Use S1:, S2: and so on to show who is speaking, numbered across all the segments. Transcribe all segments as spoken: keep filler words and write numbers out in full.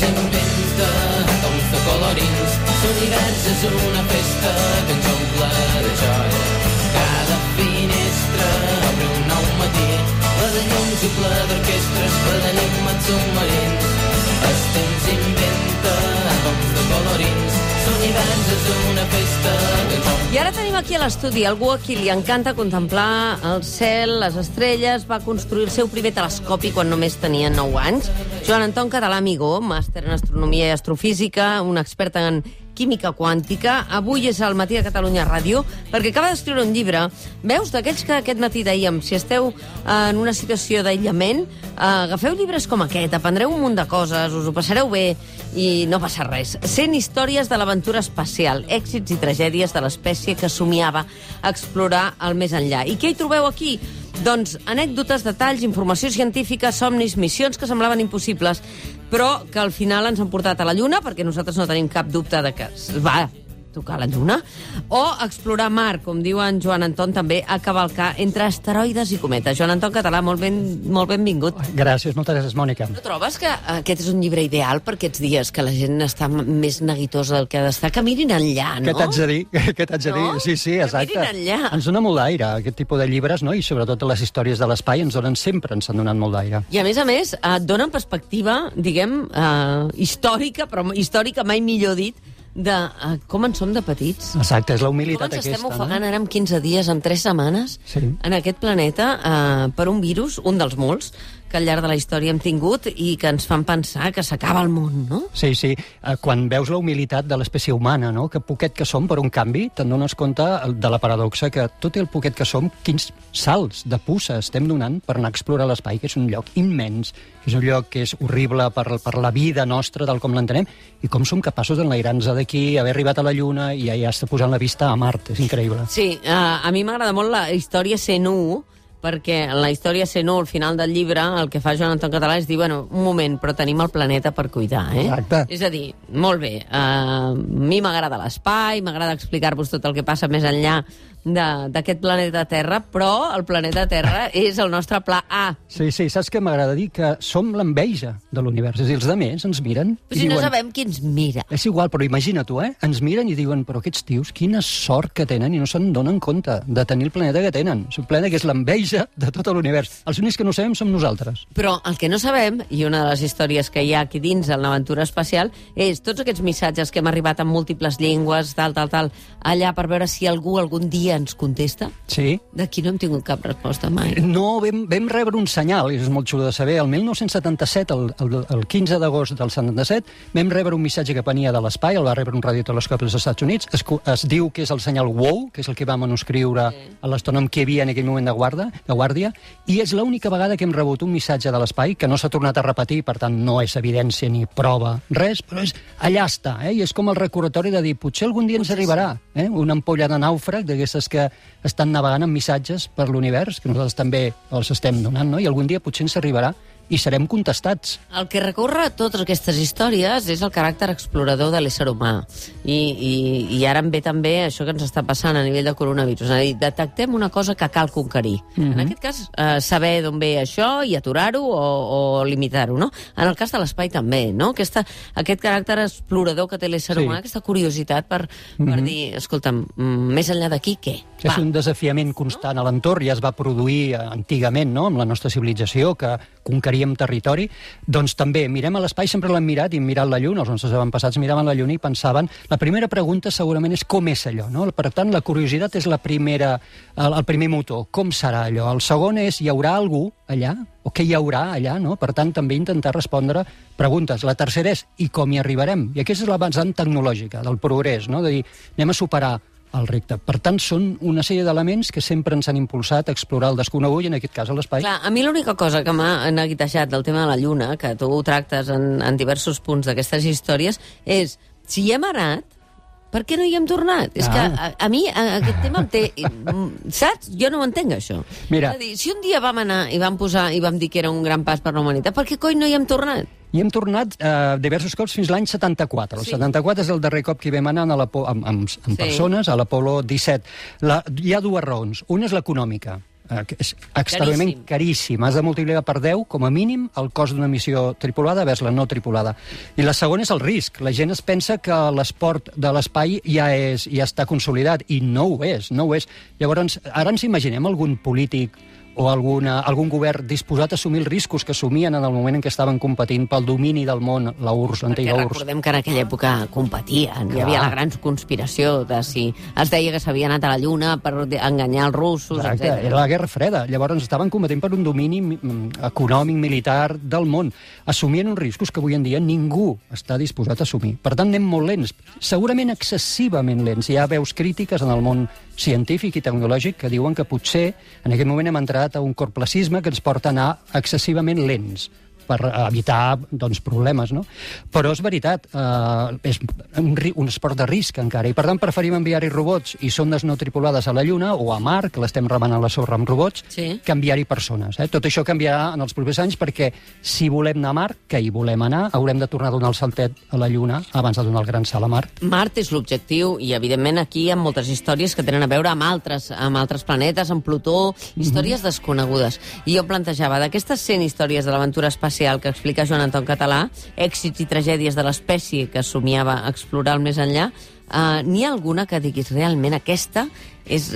S1: s'inventa tons de colorins. L'univers és una festa que ens omple de joia. Cada finestra obre un nou matí, ple de llums i ple d'orquestres, ple d'enigmes submarins. El temps inventa tons de colorins. L'univers és una festa que ens omple.
S2: I ara tenim aquí a l'estudi algú a qui li encanta contemplar el cel, les estrelles. Va construir el seu primer telescopi quan només tenia nou anys. Joan Anton Català Amigó, màster en astronomia i astrofísica, un expert en química quàntica. Avui és al Matí de Catalunya Ràdio, perquè acaba d'escriure un llibre. Veus, d'aquells que aquest matí dèiem, si esteu en una situació d'aïllament, agafeu llibres com aquest, aprendreu un munt de coses, us ho passareu bé i no passa res. cent històries de l'aventura espacial, èxits i tragèdies de l'espècie que somiava explorar el més enllà. I què hi trobeu aquí? Doncs anècdotes, detalls, informació científica, somnis, missions que semblaven impossibles, però que al final ens han portat a la Lluna, perquè nosaltres no tenim cap dubte de que va tocar la Lluna, o explorar Mart, com diu en Joan Anton, també a cavalcar entre asteroides i cometes. Joan Anton Català, molt, ben, molt benvingut.
S3: Gràcies, moltes gràcies, Mònica.
S2: No trobes que aquest és un llibre ideal per aquests dies, que la gent està més neguitosa del que ha d'estar? Que mirin enllà, no?
S3: Què t'haig de dir? Què t'haig de dir?
S2: No?
S3: Sí, sí, exacte.
S2: Que mirin enllà.
S3: Ens dona molt d'aire, aquest tipus de llibres, no? I sobretot les històries de l'espai ens donen sempre, ens han donat molt d'aire.
S2: I a més a més, et donen perspectiva, diguem, eh, històrica, però històrica mai millor dit, de uh, com en som de petits.
S3: Exacte, és la humilitat
S2: aquesta. Com ens
S3: aquesta,
S2: estem ofegant
S3: no?
S2: ara en quinze dies, en tres setmanes,
S3: sí.
S2: en aquest planeta, uh, per un virus, un dels molts, que al llarg de la història hem tingut i que ens fan pensar que s'acaba el món, no?
S3: Sí, sí. Quan veus la humilitat de l'espècie humana, no? Que poquet que som per un canvi, te'n dones compte de la paradoxa que tot el poquet que som, quins salts de puça estem donant per anar a explorar l'espai, que és un lloc immens, que és un lloc que és horrible per, per la vida nostra, tal com l'entenem, i com som capaços d'enlairar-nos d'aquí, haver arribat a la Lluna i ja, ja està posant la vista a Mart. És increïble.
S2: Sí, uh, a mi m'agrada molt la història cent u, perquè en la història cent u, al final del llibre, el que fa Joan Anton Català és dir, bueno, un moment, però tenim el planeta per cuidar, eh?
S3: Exacte.
S2: És a dir, molt bé, uh, a mi m'agrada l'espai, m'agrada explicar-vos tot el que passa més enllà d'aquest planeta Terra, però el planeta Terra és el nostre pla A.
S3: Sí, sí, saps què m'agrada dir? Que som l'enveja de l'univers. És a dir, els altres ens miren
S2: Però
S3: i
S2: si
S3: diuen...
S2: no sabem qui ens mira.
S3: És igual, però imagina tu, eh? Ens miren i diuen, però aquests tios, quina sort que tenen i no se'n donen compte de tenir el planeta que tenen. És un planeta que és l'enveja de tot l'univers. Els únics que no sabem som nosaltres.
S2: Però el que no sabem, i una de les històries que hi ha aquí dins en l'aventura espacial, és tots aquests missatges que hem arribat en múltiples llengües, tal, tal, tal, allà per veure si algú algun dia ens contesta.
S3: Sí.
S2: D'aquí no hem tingut cap resposta mai.
S3: No, vam, vam rebre un senyal, i és molt xulo de saber. El mil nou-cents setanta-set, el, el, el quinze d'agost del setanta-set, vam rebre un missatge que venia de l'espai, el va rebre un radiotelescopi dels Estats Units, es, es diu que és el senyal WOW, que és el que vam manuscriure sí. a l'astrònom que hi havia en aquell moment de guarda, de guàrdia, i és l'única vegada que hem rebut un missatge de l'espai, que no s'ha tornat a repetir, per tant no és evidència ni prova, res, però és, allà està, eh? I és com el recordatori de dir, potser algun dia ens arribarà, eh? Una ampolla de nàufrag, d'aquestes que estan navegant amb missatges per l'univers, que nosaltres també els estem donant, no? I algun dia potser ens arribarà i serem contestats.
S2: El que recorre totes aquestes històries és el caràcter explorador de l'ésser humà. I, i, i ara em ve també això que ens està passant a nivell de coronavirus. És a dir, detectem una cosa que cal conquerir. Mm-hmm. En aquest cas, eh, saber d'on ve això i aturar-ho o, o limitar-ho, no? En el cas de l'espai també, no? Aquesta, aquest caràcter explorador que té l'ésser sí. humà, aquesta curiositat per, mm-hmm. per dir, escolta'm, més enllà d'aquí, què?
S3: És un desafiament constant a l'entorn, ja es va produir antigament, no?, amb la nostra civilització, que conqueríem territori, doncs també mirem a l'espai, sempre l'hem mirat, i hem mirat la Lluna, els nostres avantpassats miraven la Lluna i pensaven, la primera pregunta segurament és com és allò, no? Per tant, la curiositat és la primera, el, el primer motor, com serà allò? El segon és, hi haurà algú allà? O què hi haurà allà, no? Per tant, també intentar respondre preguntes. La tercera és, i com hi arribarem? I aquesta és la vessant tecnològica del progrés, no? De dir, anem a superar el repte. Per tant, són una sèrie d'elements que sempre ens han impulsat a explorar el desconegut i, en aquest cas, l'espai.
S2: Clar, a mi l'única cosa que m'ha neguitejat del tema de la Lluna, que tu ho tractes en, en diversos punts d'aquestes històries, és, si hi hem anat, per què no hi hem tornat? Ah. És que a, a mi a, aquest tema em té... Saps? Jo no ho entenc, això.
S3: Mira.
S2: És a dir, si un dia vam anar i vam posar i vam dir que era un gran pas per la humanitat, per què coi no hi hem tornat?
S3: I hem tornat eh, diversos cops fins l'any setanta-quatre. El sí. setanta-quatre és el darrer cop que hi vam anar amb, amb, amb, amb sí. persones, a l'Apolo disset. La, hi ha dues raons. Una és l'econòmica. eh, és extremadament caríssim. Has de multiplicar per deu, com a mínim, el cost d'una missió tripulada vers la no tripulada. I la segona és el risc. La gent es pensa que l'esport de l'espai ja, és, ja està consolidat, i no ho és, no ho és. Llavors, ara ens imaginem algun polític o alguna, algun govern disposat a assumir els riscos que assumien en el moment en què estaven competint pel domini del món, la U R S S, l'antiga U R S S.
S2: Recordem que en aquella època competien. Clar. Hi havia la gran conspiració de si es deia que s'havia anat a la Lluna per enganyar els russos,
S3: Exacte,
S2: etcètera.
S3: Era la Guerra Freda. Llavors estaven competint per un domini econòmic, militar del món. Assumien uns riscos que avui en dia ningú està disposat a assumir. Per tant, anem molt lents, segurament excessivament lents. Hi ha veus crítiques en el món científic i tecnològic que diuen que potser en aquest moment hem entrat a un corplacisme que ens porta a anar excessivament lents per evitar doncs, problemes, no? Però és veritat, eh, és un, un esport de risc encara, i per tant preferim enviar-hi robots i sondes no tripulades a la Lluna o a Mart, que l'estem remenant a la sorra amb robots,
S2: sí.
S3: que enviar-hi persones. Eh? Tot això canviarà en els propers anys perquè si volem anar a Mart, que hi volem anar, haurem de tornar a donar el saltet a la Lluna abans de donar el gran salt a Mart.
S2: Mart és l'objectiu i, evidentment, aquí hi ha moltes històries que tenen a veure amb altres, amb altres planetes, amb Plutó, històries mm-hmm. desconegudes. I jo plantejava, d'aquestes cent històries de l'aventura espacial que explica Joan Anton Català, èxits i tragèdies de l'espècie que somiava explorar el més enllà, uh, n'hi ha alguna que diguis realment aquesta és,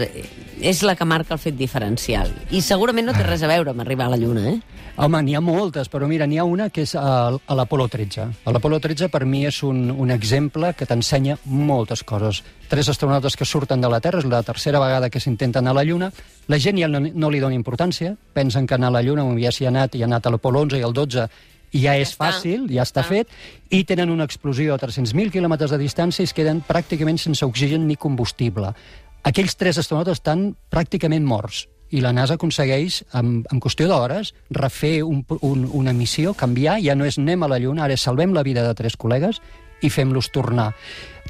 S2: és la que marca el fet diferencial? I segurament no té res a veure amb arribar a la Lluna, eh?
S3: Home, n'hi ha moltes, però mira, n'hi ha una que és a, a l'Apolo tretze. A l'Apolo tretze per mi és un, un exemple que t'ensenya moltes coses. Tres astronautes que surten de la Terra, és la tercera vegada que s'intenta anar a la Lluna. La gent ja no, no li dona importància, pensen que anar a la Lluna, ja s'hi ha anat, i ha anat a l'Apolo onze i el dotze, i ja és ja fàcil, ja està fet, i tenen una explosió a tres-cents mil quilòmetres de distància i es queden pràcticament sense oxigen ni combustible. Aquells tres astronautes estan pràcticament morts, i la NASA aconsegueix, en, en qüestió d'hores, refer un, un, una missió, canviar, ja no és anem a la Lluna, ara salvem la vida de tres col·legues i fem-los tornar.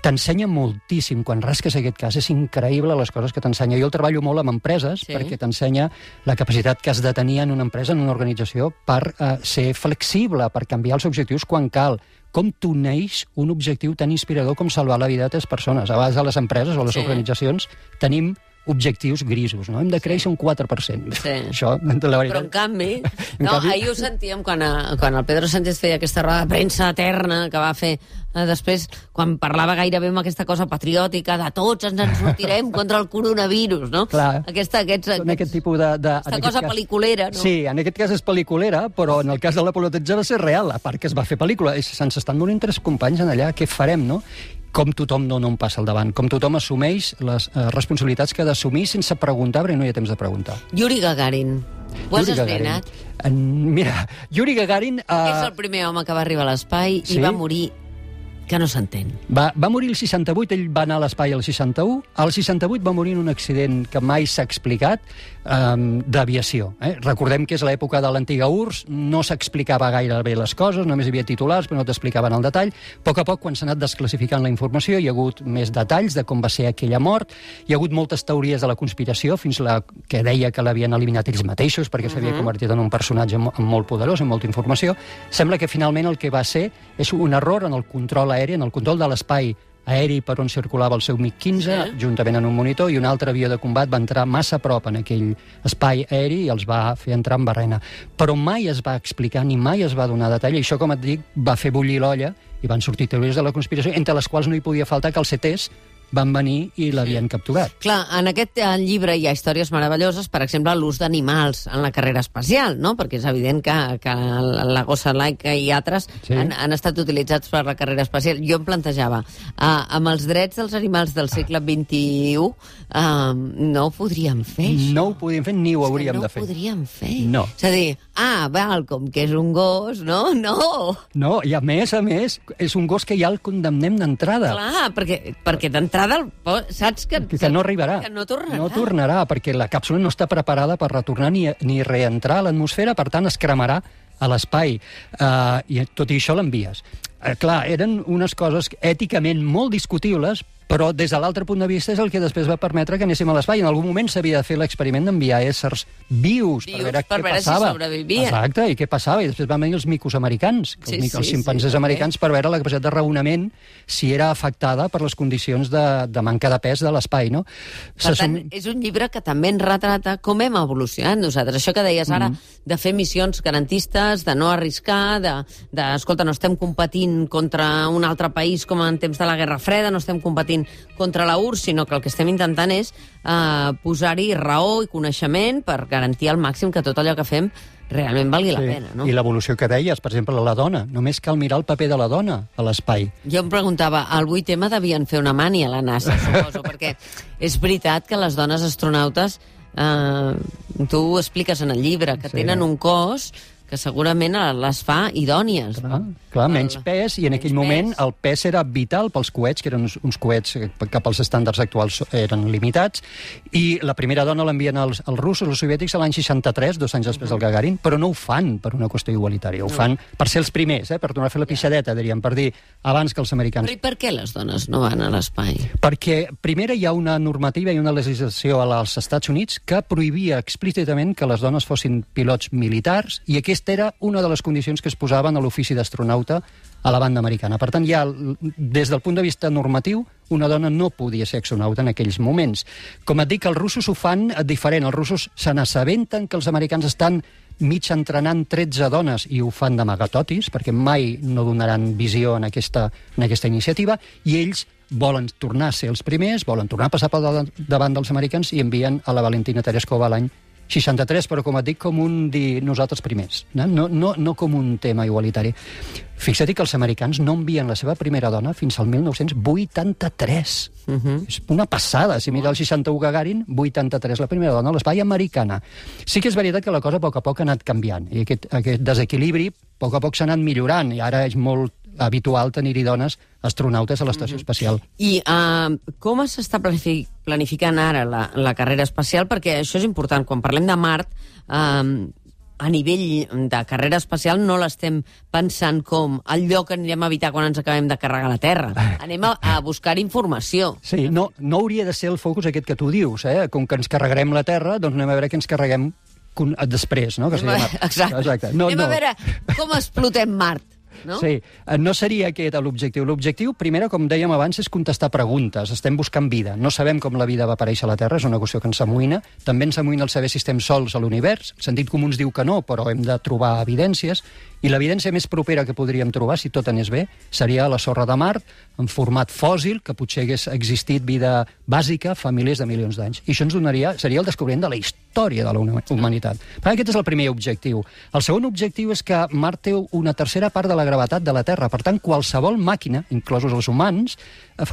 S3: T'ensenya moltíssim, quan rasques aquest cas, és increïble les coses que t'ensenya. Jo el treballo molt amb empreses, sí. perquè t'ensenya la capacitat que has de tenir en una empresa, en una organització, per eh, ser flexible, per canviar els objectius quan cal. Com t'uneix un objectiu tan inspirador com salvar la vida de tres persones. A vegades a les empreses o a les sí. organitzacions tenim objectius grisos, no? Hem de créixer sí. un quatre per cent.
S2: Sí.
S3: Això, la veritat...
S2: Però en canvi, en no, canvi... ahir ho sentíem quan, a, quan el Pedro Sánchez feia aquesta roda de premsa eterna que va fer eh, després, quan parlava gairebé amb aquesta cosa patriòtica de tots ens en sortirem contra el coronavirus, no?
S3: Clar.
S2: Aquesta, aquests,
S3: aquests, aquest tipus de... de
S2: aquesta cosa cas, pel·liculera, no?
S3: Sí, en aquest cas és pel·liculera, però en el cas de l'Apolo tretze va ser real, a part que es va fer pel·lícula. Se'ns estan morint tres companys en allà, què farem, no? Com tothom dona un pas al davant, com tothom assumeix les eh, responsabilitats que ha d'assumir sense preguntar, perquè no hi ha temps de preguntar.
S2: Yuri Gagarin, ho has esbrinat?
S3: En, mira, Yuri Gagarin... Eh...
S2: És el primer home que va arribar a l'espai sí? i va morir que no s'entén.
S3: Va, va morir el seixanta-vuit, ell va anar a l'espai al seixanta-u, al seixanta-vuit va morir en un accident que mai s'ha explicat, um, d'aviació. Eh? Recordem que és l'època de l'antiga U R S S, no s'explicava gaire bé les coses, només hi havia titulars, però no t'explicaven el detall. A poc a poc, quan s'ha anat desclassificant la informació, hi ha hagut més detalls de com va ser aquella mort, hi ha hagut moltes teories de la conspiració, fins la que deia que l'havien eliminat ells mateixos, perquè s'havia uh -huh. convertit en un personatge molt poderós, amb molta informació. Sembla que finalment el que va ser és un error en el control aeri, en el control de l'espai aeri per on circulava el seu MiG quinze, sí. juntament en un monitor, i un altre avió de combat va entrar massa a prop en aquell espai aeri i els va fer entrar en barrena. Però mai es va explicar, ni mai es va donar detall, i això, com et dic, va fer bullir l'olla, i van sortir teories de la conspiració, entre les quals no hi podia faltar que els C Ts van venir i l'havien capturat.
S2: Clar, en aquest llibre hi ha històries meravelloses, per exemple, l'ús d'animals en la carrera espacial, no? Perquè és evident que, que la gossa laica i altres sí. han, han estat utilitzats per la carrera espacial. Jo em plantejava, uh, amb els drets dels animals del segle vint-i-u, uh, no ho podríem fer, això.
S3: No ho podríem fer, ni ho hauríem
S2: no
S3: de fer.
S2: No ho podríem fer.
S3: No.
S2: És a dir, ah, val, com que és un gos, no? No!
S3: No, i a més, a més, és un gos que ja el condemnem d'entrada.
S2: Clar, perquè, perquè d'entrada saps que,
S3: que, que no arribarà.
S2: Que no tornarà.
S3: No tornarà, perquè la càpsula no està preparada per retornar ni, ni reentrar a l'atmosfera, per tant es cremarà a l'espai. Uh, I tot i això l'envies. Uh, clar, eren unes coses èticament molt discutibles, Però des de l'altre punt de vista és el que després va permetre que anéssim a l'espai. En algun moment s'havia de fer l'experiment d'enviar éssers vius,
S2: Vius,
S3: per veure
S2: per
S3: què
S2: veure si
S3: passava.
S2: sobrevivien.
S3: Exacte, i què passava. I després van venir els micos americans,
S2: Sí,
S3: els, mic-
S2: sí,
S3: els ximpanzés
S2: sí,
S3: americans, per veure la capacitat de raonament si era afectada per les condicions de, de manca de pes de l'espai, no?
S2: Per tant, és un llibre que també ens retrata com hem evolucionat nosaltres. Això que deies ara, mm. de fer missions garantistes, de no arriscar, de, de, escolta, no estem competint contra un altre país com en temps de la Guerra Freda, no estem competint contra la U R S S, sinó que el que estem intentant és eh, posar-hi raó i coneixement per garantir al màxim que tot allò que fem realment valgui la
S3: Sí.
S2: pena, no?
S3: I l'evolució que deies, per exemple, la dona. Només cal mirar el paper de la dona a l'espai.
S2: Jo em preguntava, al vuit ema devien fer una mani a la NASA, suposo, perquè és veritat que les dones astronautes, eh, tu ho expliques en el llibre, que
S3: Sí.
S2: tenen un cos que segurament les fa idònies.
S3: Clar, clar, menys pes, i en
S2: menys
S3: aquell moment
S2: pes.
S3: el pes era vital pels coets, que eren uns, uns coets que pels estàndards actuals eren limitats, i la primera dona l'envien als, als russos, als soviètics, a l'any seixanta-tres, dos anys després del Gagarin, però no ho fan per una qüestió igualitària, ho fan per ser els primers, eh, per tornar a fer la pixadeta, diríem, per dir, abans que els americans.
S2: Però i per què les dones no van a l'espai?
S3: Perquè, primera, hi ha una normativa i una legislació als Estats Units que prohibia explícitament que les dones fossin pilots militars, i aquesta era una de les condicions que es posaven a l'ofici d'astronauta a la banda americana. Per tant, ja, des del punt de vista normatiu, una dona no podia ser astronauta en aquells moments. Com et dic, els russos ho fan diferent. Els russos se n'assabenten que els americans estan mig entrenant tretze dones i ho fan d'amagatotis, perquè mai no donaran visió en aquesta, en aquesta iniciativa, i ells volen tornar a ser els primers, volen tornar a passar pel davant dels americans i envien a la Valentina Tereskova l'any seixanta-tres, però com et dic, com un dir nosaltres primers, no, no, no, no com un tema igualitari. Fixa't que els americans no envien la seva primera dona fins al mil nou-cents vuitanta-tres. Uh-huh. És una passada. Si mira el seixanta-u Gagarin, vuitanta-tres, la primera dona a l'espai americana. Sí que és veritat que la cosa a poc a poc ha anat canviant, i aquest, aquest desequilibri a poc a poc s'ha anat millorant, i ara és molt habitual tenir-hi dones astronautes a l'estació espacial.
S2: I uh, com s'està planific planificant ara la, la carrera espacial? Perquè això és important. Quan parlem de Mart, uh, a nivell de carrera espacial no l'estem pensant com el lloc que anirem a evitar quan ens acabem de carregar la Terra. Anem a, a buscar informació.
S3: Sí, no, no hauria de ser el focus aquest que tu dius, eh? Com que ens carregarem la Terra, doncs anem a veure què ens carreguem després, no? Que
S2: Anem a, exacte.
S3: Exacte. No,
S2: anem
S3: no.
S2: a veure com explotem Mart. No?
S3: Sí, no seria aquest l'objectiu. L'objectiu, primera, com dèiem abans, és contestar preguntes. Estem buscant vida. No sabem com la vida va aparèixer a la Terra, és una qüestió que ens amoïna. També ens amoïna el saber si estem sols a l'univers. El sentit comú ens diu que no, però hem de trobar evidències. I l'evidència més propera que podríem trobar, si tot anés bé, seria la sorra de Mart, en format fòssil, que potser hagués existit vida bàsica fa milers de milions d'anys. I això ens donaria, seria el descobriment de la història de la humanitat. Per aquest és el primer objectiu. El segon objectiu és que Mart té una tercera part de la gravetat de la Terra. Per tant, qualsevol màquina, inclosos els humans,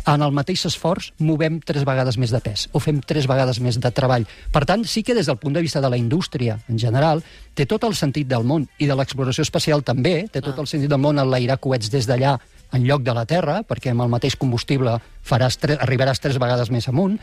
S3: en el mateix esforç movem tres vegades més de pes, o fem tres vegades més de treball. Per tant, sí que des del punt de vista de la indústria en general, té tot el sentit del món, i de l'exploració espacial també, té tot el sentit del món enlairar coets des d'allà en lloc de la Terra, perquè amb el mateix combustible faràs tre arribaràs tres vegades més amunt,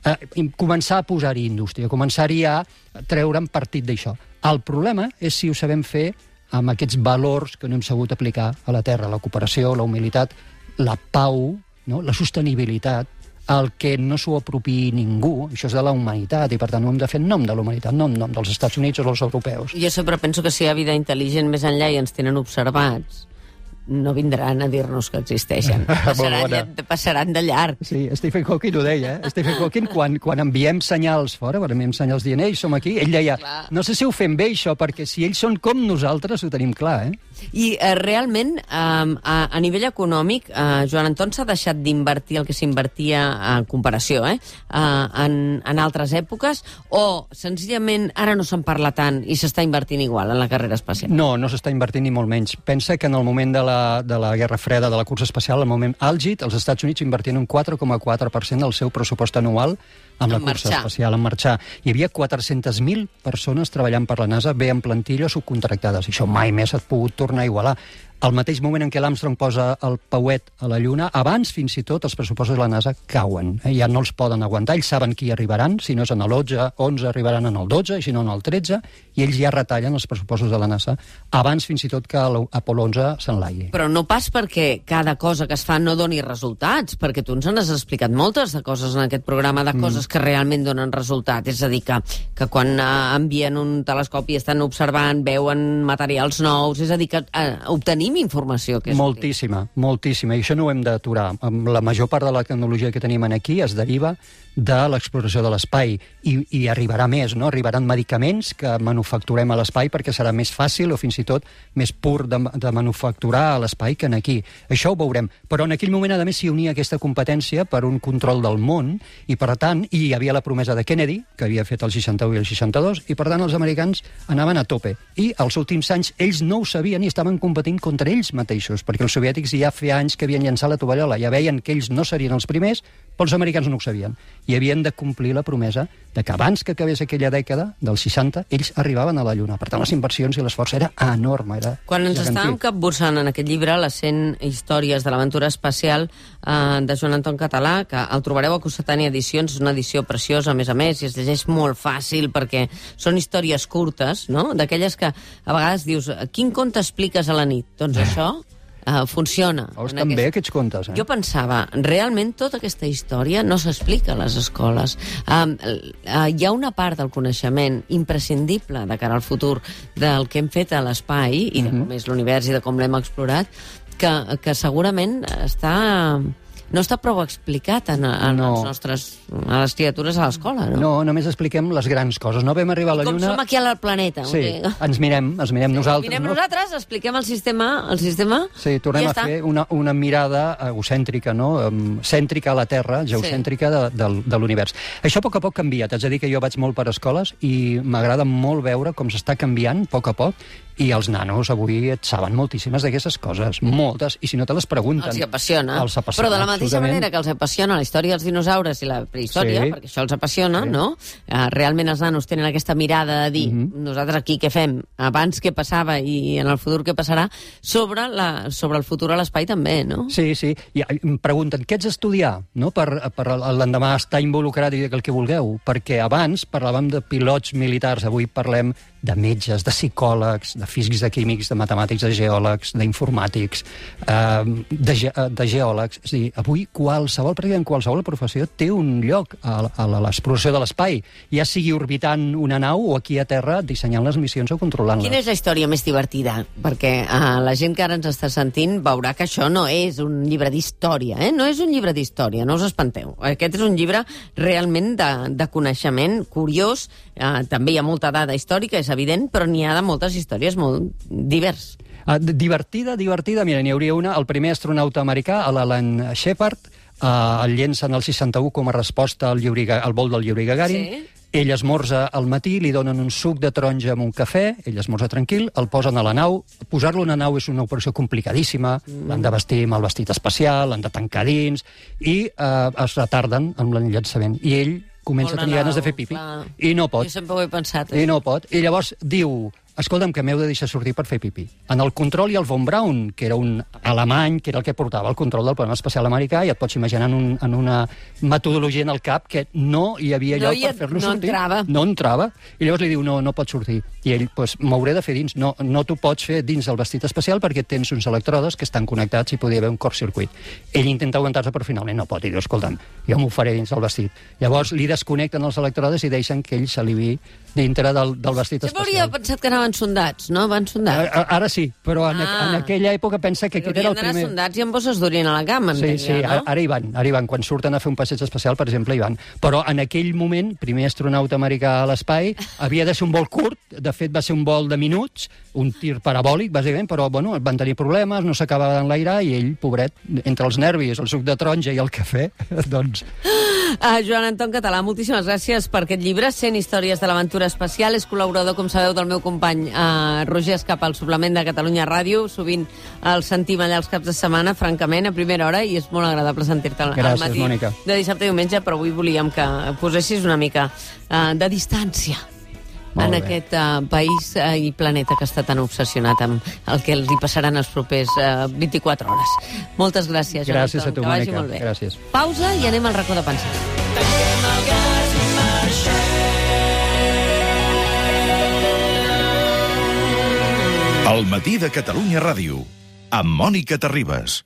S3: eh, començar a posar-hi indústria, començar-hi a treure'n partit d'això. El problema és si ho sabem fer amb aquests valors que no hem sabut aplicar a la Terra, la cooperació, la humilitat, la pau, no? La sostenibilitat, el que no s'ho apropiï ningú, això és de la humanitat, i per tant ho hem de fer en nom de la humanitat, no en nom dels Estats Units o dels europeus.
S2: Jo sempre penso que si hi ha vida intel·ligent més enllà i ens tenen observats, no vindran a dir-nos que existeixen. Passaran, passaran de llarg.
S3: Sí, Stephen Hawking ho deia, eh? Stephen Hawking, quan, quan enviem senyals fora, quan enviem senyals dient, ei, som aquí, ell deia, clar, no sé si ho fem bé, això, perquè si ells són com nosaltres, ho tenim clar, eh?
S2: I eh, realment, eh, a, a nivell econòmic, eh, Joan Anton s'ha deixat d'invertir el que s'invertia en comparació, eh? eh en, en altres èpoques, o senzillament ara no se'n parla tant i s'està invertint igual en la carrera espacial?
S3: No, no s'està invertint ni molt menys. Pensa que en el moment de la, de la Guerra Freda, de la cursa espacial, el moment àlgid, els Estats Units invertien un quatre coma quatre per cent del seu pressupost anual amb la cursa espacial, en marxar. Hi havia quatre-centes mil persones treballant per la NASA, bé en plantilla o subcontractades. Això mai més s'ha pogut tornar a igualar. Al mateix moment en què l'Armstrong posa el pauet a la Lluna, abans fins i tot els pressupostos de la NASA cauen. Eh? Ja no els poden aguantar, ells saben qui arribaran, si no és en l'onze, onze arribaran en el dotze, i si no en el tretze, i ells ja retallen els pressupostos de la NASA abans fins i tot que l'Apolo onze s'enlaigui.
S2: Però no pas perquè cada cosa que es fa no doni resultats, perquè tu ens n'has explicat moltes de coses en aquest programa, de coses mm. que realment donen resultat. És a dir, que, que quan eh, envien un telescopi estan observant, veuen materials nous, és a dir, que eh, obtenim informació. Que és
S3: moltíssima, útil. moltíssima, i això no ho hem d'aturar. La major part de la tecnologia que tenim aquí es deriva de l'exploració de l'espai, i, i arribarà més, no? Arribaran medicaments que manufacturem a l'espai perquè serà més fàcil o fins i tot més pur de, de manufacturar a l'espai que en aquí. Això ho veurem. Però en aquell moment, a més, s'hi unia aquesta competència per un control del món, i per tant, i hi havia la promesa de Kennedy, que havia fet el seixanta-u i el seixanta-dos, i per tant els americans anaven a tope. I els últims anys ells no ho sabien i estaven competint contra ells mateixos, perquè els soviètics ja feia anys que havien llançat la tovallola, ja veien que ells no serien els primers, però els americans no ho sabien. I havien de complir la promesa de que abans que acabés aquella dècada, dels seixanta, ells arribaven a la Lluna. Per tant, les inversions i l'esforç era enorme. Era
S2: Quan ens
S3: gegantí.
S2: estàvem capbussant en aquest llibre, les cent històries de l'aventura espacial eh, de Joan Anton Català, que el trobareu a Cossetània Edicions, és una edició preciosa, a més a més, i es llegeix molt fàcil, perquè són històries curtes, no? D'aquelles que a vegades dius, quin conte expliques a la nit? Doncs això... Uh, funciona.
S3: Oh, estan aquest... bé aquests contes, eh?
S2: Jo pensava, realment tota aquesta història no s'explica a les escoles. Uh, uh, hi ha una part del coneixement imprescindible de cara al futur del que hem fet a l'espai i de com és l'univers i de com l'hem explorat, que, que segurament està... no està prou explicat en, en no. els nostres, a les criatures a l'escola, no?
S3: No, només expliquem les grans coses. No vam arribar a la
S2: com
S3: Lluna...
S2: Com som aquí al planeta.
S3: Sí, okay. ens mirem, ens mirem sí, nosaltres.
S2: Mirem
S3: no?
S2: nosaltres, expliquem el sistema, el sistema
S3: sí, tornem
S2: ja
S3: a
S2: està.
S3: fer una, una mirada egocèntrica, no? Um, cèntrica a la Terra, geocèntrica sí. de, de, de l'univers. Això a poc a poc canvia. T'haig de dir que jo vaig molt per escoles i m'agrada molt veure com s'està canviant a poc a poc, i els nanos avui et saben moltíssimes d'aquestes coses, moltes, i si no te les pregunten...
S2: Els apassiona.
S3: Els apassiona,
S2: però de la mateixa manera que els apassiona la història dels dinosaures i la prehistòria, sí. perquè això els apassiona, sí. no? Uh, realment els nanos tenen aquesta mirada de dir, mm-hmm. nosaltres aquí què fem? Abans què passava i en el futur què passarà? Sobre, la, sobre el futur a l'espai també, no?
S3: Sí, sí. I em pregunten, què ets estudiar? No? Per, per l'endemà estar involucrat i dir el que vulgueu. Perquè abans parlàvem de pilots militars, avui parlem de metges, de psicòlegs, de físics, de químics, de matemàtics, de geòlegs, d'informàtics, eh, de, ge de geòlegs. És a dir, avui qualsevol, pràcticament qualsevol professió té un lloc a, a l'exploració de l'espai, ja sigui orbitant una nau o aquí a terra dissenyant les missions o controlant-les.
S2: Quina és la història més divertida? Perquè eh, la gent que ara ens està sentint veurà que això no és un llibre d'història, eh? No és un llibre d'història, no us espanteu. Aquest és un llibre realment de, de coneixement curiós, eh, també hi ha molta dada històrica, és evident, però n'hi ha de moltes històries molt divers.
S3: Uh, divertida, divertida. Mira, n'hi hauria una. El primer astronauta americà, l'Alan Shepard, uh, el llencen al seixanta-u com a resposta al, Yuri, al vol del Yuri Gagarin. Sí. Ell esmorza al matí, li donen un suc de taronja amb un cafè, ell esmorza tranquil, el posen a la nau. Posar-lo a una nau és una operació complicadíssima, mm. l'han de vestir amb el vestit especial, l'han de tancar dins, i uh, es retarden amb l'enllaçament. I ell comença a tenir ganes de fer pipi, clar. I no pot.
S2: Jo sempre ho he pensat.
S3: I no pot. I llavors diu, escolta'm, que m'heu de deixar sortir per fer pipi. En el control hi ha el von Braun, que era un alemany, que era el que portava el control del programa espacial americà, i et pots imaginar en, un, en una metodologia en el cap que no hi havia
S2: no
S3: lloc
S2: hi
S3: per fer-lo
S2: no
S3: sortir.
S2: Entrava.
S3: No entrava. I llavors li diu, no, no pot sortir. I ell, doncs, m'hauré de fer dins. No, no t'ho pots fer dins del vestit especial perquè tens uns electrodes que estan connectats i podria haver un curtcircuit. Ell intenta aguantar-se, però finalment no pot. I diu, escolta'm, jo m'ho faré dins del vestit. Llavors li desconnecten els electrodes i deixen que ell s'alivi dintre del, del vestit
S2: Sempre
S3: especial.
S2: Sempre hauria pensat que anaven sondats, no? Van sondats.
S3: Ara, ara sí, però en, ah. en aquella època pensa que aquest era el primer...
S2: sondats i amb bosses d'orina a la cama,
S3: sí,
S2: entenia,
S3: sí,
S2: no?
S3: Ara hi van, ara hi van. Quan surten a fer un passeig especial, per exemple, hi van. Però en aquell moment, primer astronauta americà a l'espai, havia de ser un vol curt, de fet va ser un vol de minuts, un tir parabòlic, bàsicament, però bueno, van tenir problemes, no s'acabava d'enlairar, i ell, pobret, entre els nervis, el suc de taronja i el cafè, doncs...
S2: Uh, Joan Anton Català, moltíssimes gràcies per aquest llibre, cent històries de l'aventura espacial. És col·laborador, com sabeu, del meu company uh, Roger Escapa, al suplement de Catalunya Ràdio. Sovint el sentim allà els caps de setmana, francament, a primera hora, i és molt agradable sentir-te al matí
S3: Mònica.
S2: De dissabte i diumenge, però avui volíem que posessis una mica uh, de distància en aquest uh, país uh, i planeta que està tan obsessionat amb el que els hi passaran els propers uh, vint-i-quatre hores. Moltes gràcies, Joan
S3: Gràcies
S2: Anton,
S3: a tu,
S2: que vagi
S3: Mònica.
S2: molt bé.
S3: Gràcies.
S2: Pausa i anem al racó de pensar.
S1: Tanquem el gas i marxem.
S4: El matí de Catalunya Ràdio, amb Mònica Terribas.